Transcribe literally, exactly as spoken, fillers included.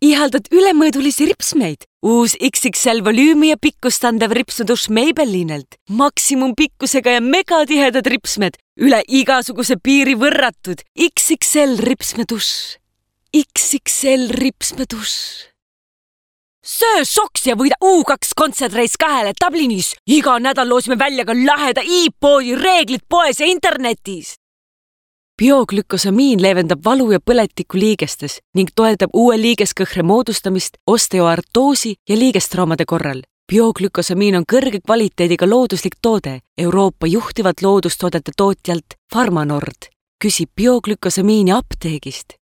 ihaldad ülemõõdulisi ripsmeid? Uus X X L volüümi ja pikkust andev ripsmedušš Maybellinelt. Maksimumpikkusega ja megatihedad ripsmed. Üle igasuguse piiri võrratud. X X L ripsmedušš. X X L ripsmedušš. Söö soks ja võida U kaks kontsertreis kahele Dublinis. Iga nädal loosime välja ka laheda e-poodi reeglid poes ja internetis. Bioglükosamiin leevendab valu ja põletikku liigestes ning toetab uue liigeskõhre moodustamist osteoartoosi ja liigestraumade korral. Bioglükosamiin on kõrge kvaliteediga looduslik toode Euroopa juhtivat loodustoodete tootjalt Farmanord. Küsi bioglükosamiini apteegist.